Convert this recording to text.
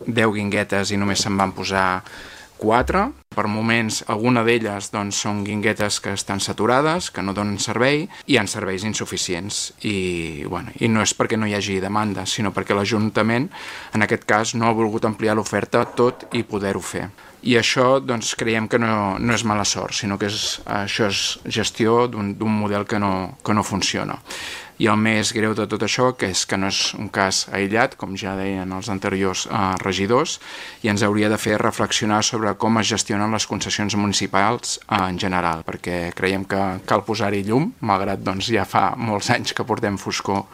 10 guinguetes i només se'n van posar 4. Per moments, alguna d'elles són guinguetes que estan saturades, que no donen servei, i hi ha serveis insuficients. I no és perquè no hi hagi demanda, sinó perquè l'Ajuntament, en aquest cas, no ha volgut ampliar l'oferta tot i poder-ho fer. I això creiem que no és mala sort, sinó que això és gestió d'un model que no funciona. I el més greu de tot això és que no és un cas aïllat, com ja deien els anteriors regidors, i ens hauria de fer reflexionar sobre com es gestionen les concessions municipals en general, perquè creiem que cal posar-hi llum, malgrat ja fa molts anys que portem foscor